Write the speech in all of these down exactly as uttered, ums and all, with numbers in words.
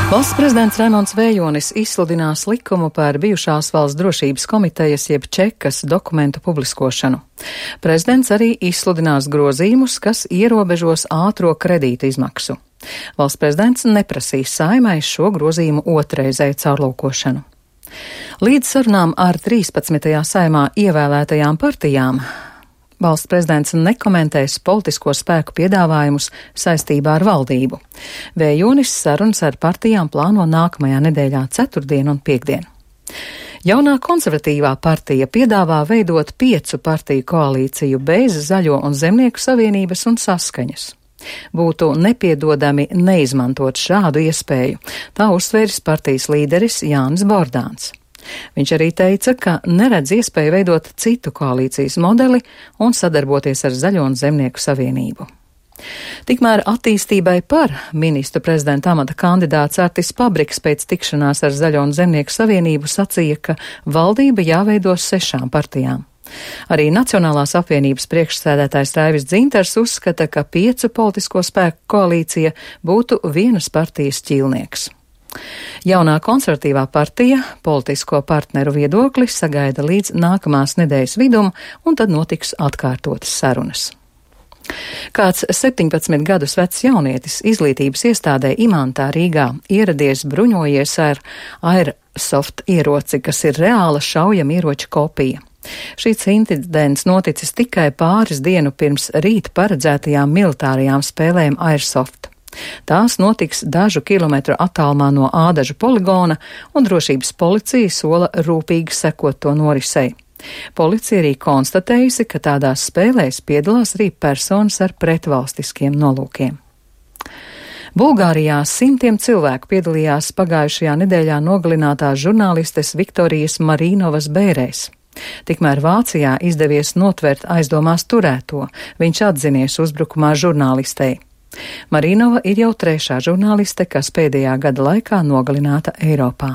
Valsts prezidents Raimonds Vējonis izsludinās likumu par bijušās valsts drošības komitejas jeb čekas dokumentu publiskošanu. Prezidents arī izsludinās grozījumus, kas ierobežos ātro kredītu izmaksu. Valsts prezidents neprasīs Saeimai šo grozījumu otrreizēju caurlūkošanu. Līdz sarunām ar trīspadsmitajā Saeimā ievēlētajām partijām valsts prezidents nekomentēs politisko spēku piedāvājumus saistībā ar valdību. Vējonis sarunas ar partijām plāno nākamajā nedēļā ceturtdien un piekdien. Jaunā konservatīvā partija piedāvā veidot piecu partiju koalīciju bez Zaļo un Zemnieku savienības un Saskaņas. Būtu nepiedodami neizmantot šādu iespēju, tā uzsvēris partijas līderis Jānis Bordāns. Viņš arī teica, ka neredz iespēju veidot citu koalīcijas modeli un sadarboties ar Zaļo un Zemnieku savienību. Tikmēr attīstībai par ministru prezidenta amata kandidāts Artis Pabriks pēc tikšanās ar Zaļo un Zemnieku savienību sacīja, ka valdība jāveido sešām partijām. Arī Nacionālās apvienības priekšsēdētājs Raivis Dzintars uzskata, ka piecu politisko spēku koalīcija būtu vienas partijas ķīlnieks. Jaunā konservatīvā partija politisko partneru viedokli sagaida līdz nākamās nedēļas vidum, un tad notiks atkārtotas sarunas. Kāds septiņpadsmit gadus vecs jaunietis izglītības iestādē Imantā Rīgā ieradies bruņojies ar Airsoft ieroci, kas ir reāla šaujamieroča kopija. Šīs incidents noticis tikai pāris dienu pirms rīt paredzētajām militārajām spēlēm Airsoft. Tās notiks dažu kilometru attālumā no Ādažu poligona, un drošības policija sola rūpīgi sekot to norisei. Policija arī konstatējusi, ka tādās spēlēs piedalās arī personas ar pretvalstiskiem nolūkiem. Bulgārijā simtiem cilvēku piedalījās pagājušajā nedēļā nogalinātās žurnālistes Viktorijas Marīnovas bērēs. Tikmēr Vācijā izdevies notvert aizdomās turēto, viņš atzinies uzbrukumā žurnālistei. Marīnova ir jau trešā žurnāliste, kas pēdējā gada laikā nogalināta Eiropā.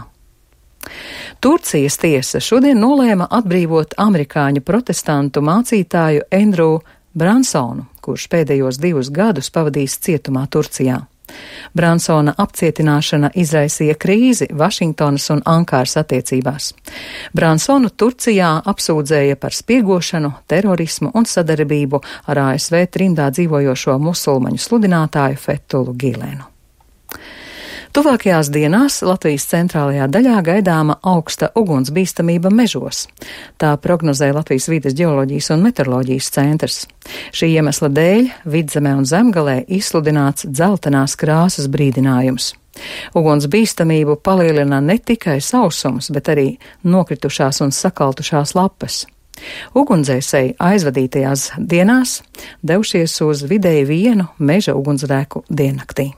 Turcijas tiesa šodien nolēma atbrīvot amerikāņu protestantu mācītāju Andrew Bransonu, kurš pēdējos divus gadus pavadījis cietumā Turcijā. Bransona apcietināšana izraisīja krīzi Vašingtonas un Ankāras attiecībās. Bransonu Turcijā apsūdzēja par spiegošanu, terorismu un sadarbību ar A S V trimdā dzīvojošo musulmaņu sludinātāju Fethulu Gilenu. Tuvākajās dienās Latvijas centrālajā daļā gaidāma augsta ugunsbīstamība mežos. Tā prognozē Latvijas vides ģeoloģijas un meteoroloģijas centrs. Šī iemesla dēļ Vidzemē un Zemgalē izsludināts dzeltenās krāsas brīdinājums. Ugunsbīstamību palielina ne tikai sausums, bet arī nokritušās un sakaltušās lapas. Ugunsdzēsēji aizvadītajās dienās devušies uz vidēji vienu meža ugunsgrēku diennaktī.